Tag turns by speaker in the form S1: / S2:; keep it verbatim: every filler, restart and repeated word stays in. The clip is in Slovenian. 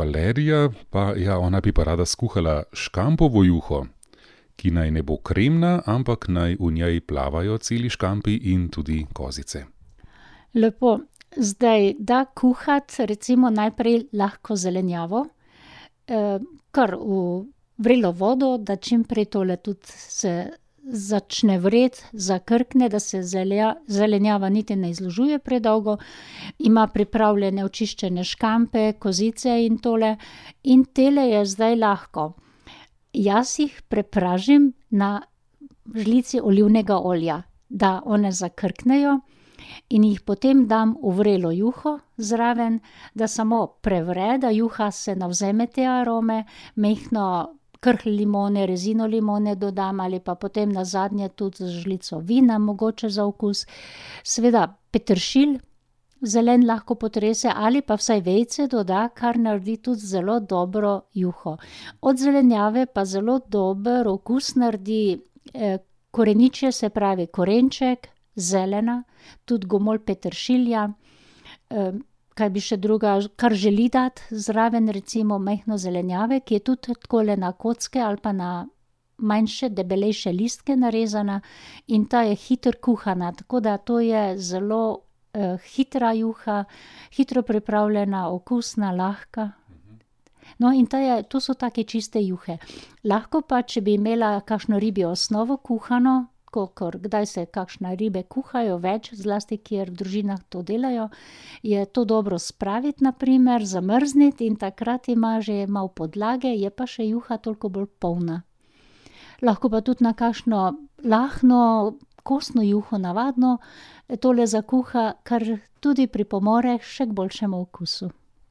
S1: Valerija, pa ja, ona bi pa rada skuhala škampovo juho, ki naj ne bo kremna, ampak naj v njej plavajo celi škampi in tudi kozice.
S2: Lepo. Zdaj, da kuhati recimo najprej lahko zelenjavo, kar v vrelo vodo, da čim prej tole tudi se začne vreti, zakrkne, da se zelenjava niti ne izložuje predolgo, ima pripravljene očiščene škampe, kozice in tole. In tele je zdaj lahko. Jaz jih prepražim na žlici olivnega olja, da one zakrknejo in jih potem dam v vrelo juho zraven, da samo prevre, da juha se navzeme te arome, majhno krhlj limone, rezino limone dodam ali pa potem nazadnje tudi z žlico vina, mogoče za okus. Seveda peteršilj zelen lahko potrese ali pa vsaj vejice doda, kar naredi tudi zelo dobro juho. Od zelenjave pa zelo dober okus naredi koreničje, se pravi korenček, zelena, tudi gomolj peteršilja, kaj bi še druga, kar želi dati zraven, recimo majhno zelenjave, ki je tudi takole na kocke ali pa na manjše, debelejše listke narezana in ta je hitro kuhana, tako da to je zelo uh, hitra juha, hitro pripravljena, okusna, lahka. No, in ta je, to so take čiste juhe. Lahko pa, če bi imela kakšno ribjo osnovo kuhano, kakor kdaj se kakšne ribe kuhajo več, zlasti kjer v družinah to delajo, je to dobro spraviti na primer, zamrzniti in takrat ima že malo podlage, je pa še juha toliko bolj polna. Lahko pa tudi na kakšno lahno, kostno juho navadno tole zakuha, kar tudi pripomore še k boljšemu okusu.